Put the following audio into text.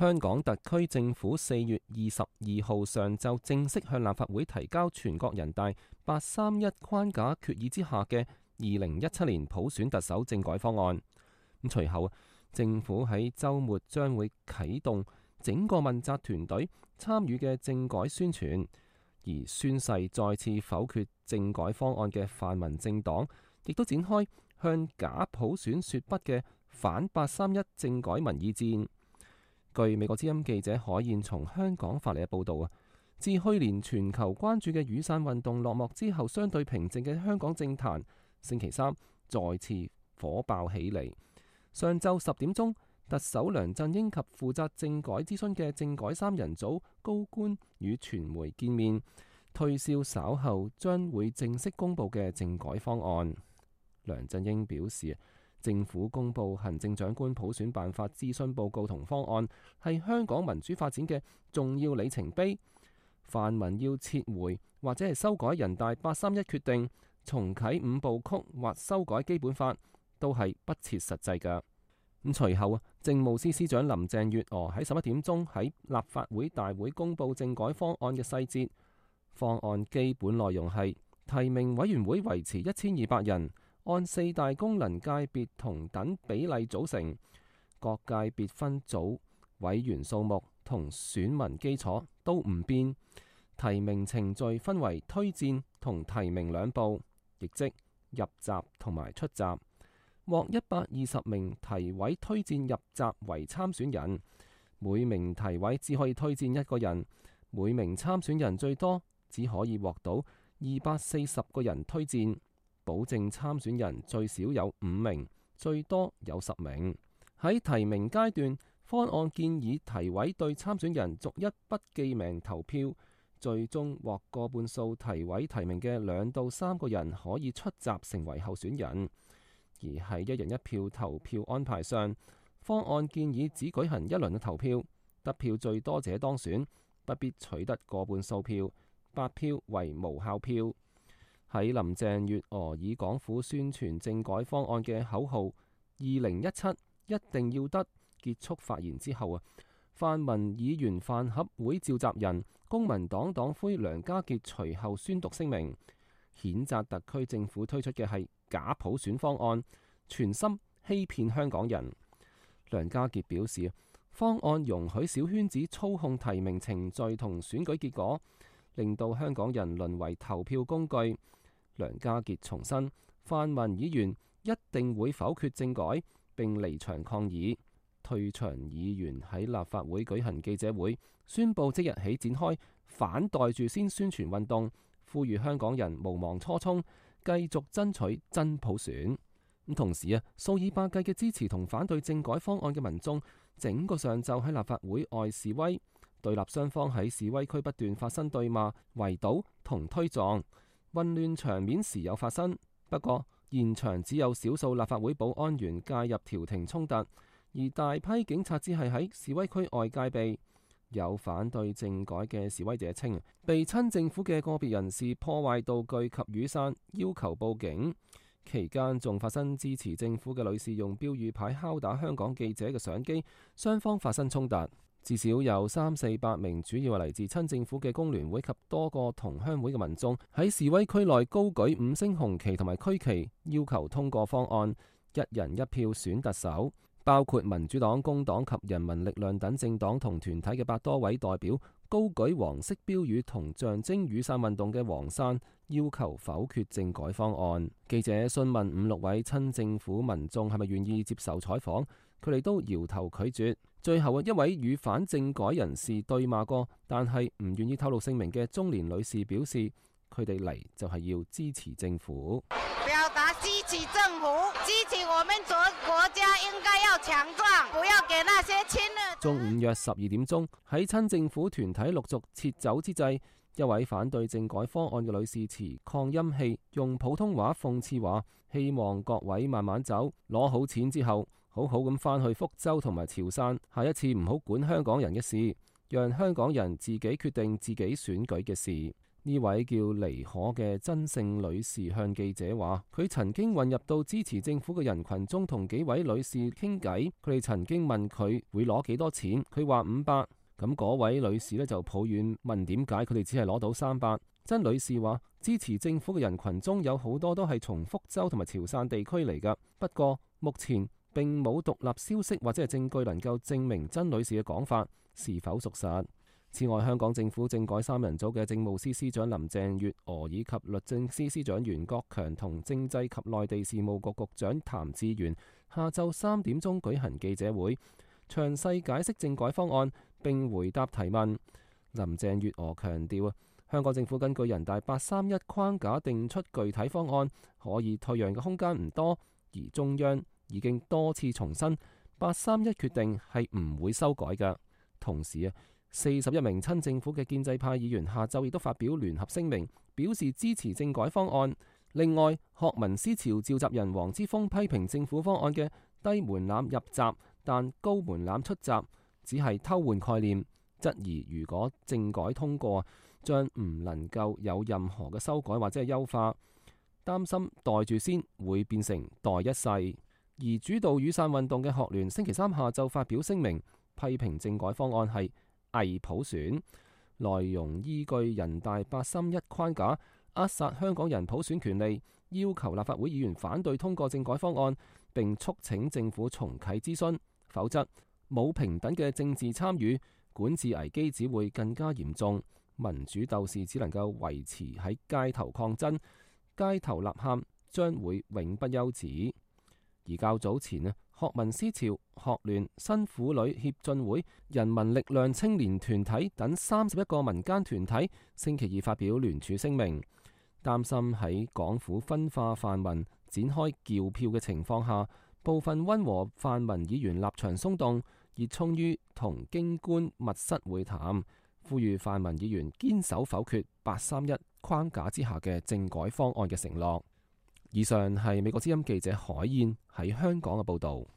香港特區政府4月22號上晝正式向立法會提交全國人大831框架決議之下嘅2017年普選特首政改方案。隨後政府喺週末將會啟動整個問責團隊參與嘅政改宣傳，而宣誓再次否決政改方案嘅泛民政黨，亦都展開向假普選說不嘅反831政改民意戰。據美國之音記者海燕從香港發嚟嘅報導，自去年全球關注嘅雨傘運動落幕之後，相對平靜嘅香港政壇，星期三再次火爆起嚟。上晝10點鐘，特首梁振英及負責政改諮詢嘅政改3人組高官與傳媒見面，推銷稍後將會正式公佈嘅政改方案。梁振英表示，政府公布行政長官普選辦法諮詢報告同方案，係香港民主發展嘅重要里程碑。泛民要撤回或者係修改人大831決定，重啟5部曲或修改基本法，都係不切實際㗎。隨後政務司司長林鄭月娥喺11點鐘喺立法會大會公布政改方案嘅細節。方案基本內容係提名委員會維持1200人，按4大功能界別同等比例組成，各界別分組委員數目同選民基礎都唔變。提名程序分為推薦同提名兩步，亦即入閘同埋出閘。獲120名提委推薦入閘為參選人，每名提委只可以推薦一個人，每名參選人最多只可以獲到240個人推薦。保證參選人最少有5名，最多有10名。喺提名階段，方案建議提委對參選人逐一不記名投票，最終獲過半數提委提名嘅2到3個人可以出閘成為候選人。而喺一人一票投票安排上，方案建議只舉行一輪嘅投票，得票最多者當選，不必取得過半數票，白票為無效票。喺林鄭月娥以港府宣傳政改方案嘅口號2017一定要得結束發言之後，泛民議員飯盒會召集人公民黨黨魁梁家傑隨後宣讀聲明，譴責特區政府推出嘅係假普選方案，全心欺騙香港人。梁家傑表示，方案容許小圈子操控提名程序同選舉結果，令到香港人淪為投票工具。梁家傑重申，泛民議員一定會否決政改並離場抗議。退場議員喺立法會舉行記者會，宣布即日起展開反袋住先宣傳運動，呼籲香港人無忘初衷，繼續爭取真普選。同時數以百計嘅支持同反對政改方案嘅民眾，整個上晝喺立法會外示威，對立雙方喺示威區不斷發生對罵、圍堵同推撞。混亂場面時有發生，不過現場只有少數立法會保安員介入調停衝突，而大批警察只係喺示威區外戒備。有反對政改嘅示威者稱，被親政府嘅個別人士破壞道具及雨傘，要求報警。期間仲發生支持政府嘅女士用標語牌敲打香港記者嘅相機，雙方發生衝突。至少有300-400名主要係嚟自親政府嘅工聯會及多個同鄉會嘅民眾喺示威區內高舉5星紅旗同埋區旗，要求通過方案，一人一票選特首。包括民主黨、工黨及人民力量等政黨同團體嘅100多位代表高舉黃色標語同象徵雨傘運動嘅黃傘，要求否決政改方案。記者詢問5-6位親政府民眾係咪願意接受採訪，佢哋都搖頭拒絕。最後一位與反政改人士對罵過，但係唔願意透露姓名嘅中年女士表示，佢哋嚟就係要支持政府。表達支持政府，支持我們國家應該要強壯，不要給那些親日。中午約12點鐘，喺親政府團體陸續撤走之際，一位反對政改方案嘅女士持擴音器，用普通話諷刺話，希望各位慢慢走，攞好錢之後，好好咁返去福州同埋潮汕，下一次唔好管香港人嘅事，讓香港人自己決定自己選舉嘅事。呢位叫妮可嘅真姓女士向記者話，佢曾經混入到支持政府嘅人群中，同幾位女士傾偈。佢哋曾經問佢會攞幾多錢，佢話500。咁嗰位女士呢就抱怨問點解佢哋只係攞到300。真女士話，支持政府嘅人群中有好多都係從福州同埋潮汕地區嚟㗎。不過目前並冇獨立消息或者係證據能夠證明真女士嘅講法是否屬實。此外，香港政府政改3人組嘅政務司司長林鄭月娥以及律政司司長袁國強同政制及內地事務局局長譚志源下晝3點鐘舉行記者會，詳細解釋政改方案並回答提問。林鄭月娥強調，香港政府根據人大831框架定出具體方案，可以退讓嘅空間唔多，而中央已經多次重申831決定係唔會修改嘅。同時41名親政府嘅建制派議員下晝亦都發表聯合聲明，表示支持政改方案。另外，學民思潮召集人黃之鋒批評政府方案嘅低門檻入閘但高門檻出閘只係偷換概念，質疑如果政改通過，將唔能夠有任何嘅修改或者係優化，擔心袋住先會變成袋一世。而主導雨傘運動嘅學聯星期三下晝發表聲明，批評政改方案係偽普選，內容依據人大831框架扼殺香港人普選權利，要求立法會議員反對通過政改方案，並促請政府重啟諮詢，否則冇平等嘅政治參與，管治危機只會更加嚴重，民主鬥士只能夠維持喺街頭抗爭，街頭吶喊將會永不休止。而較早前學民思潮、學聯、新婦女協進會、人民力量青年團體等31個民間團體星期二發表聯署聲明，擔心喺港府分化泛民、展開撬票嘅情況下，部分溫和泛民議員立場鬆動，熱衷於同京官密室會談，呼籲泛民議員堅守否決831框架之下嘅政改方案嘅承諾。以上係美國之音記者海燕喺香港嘅報導。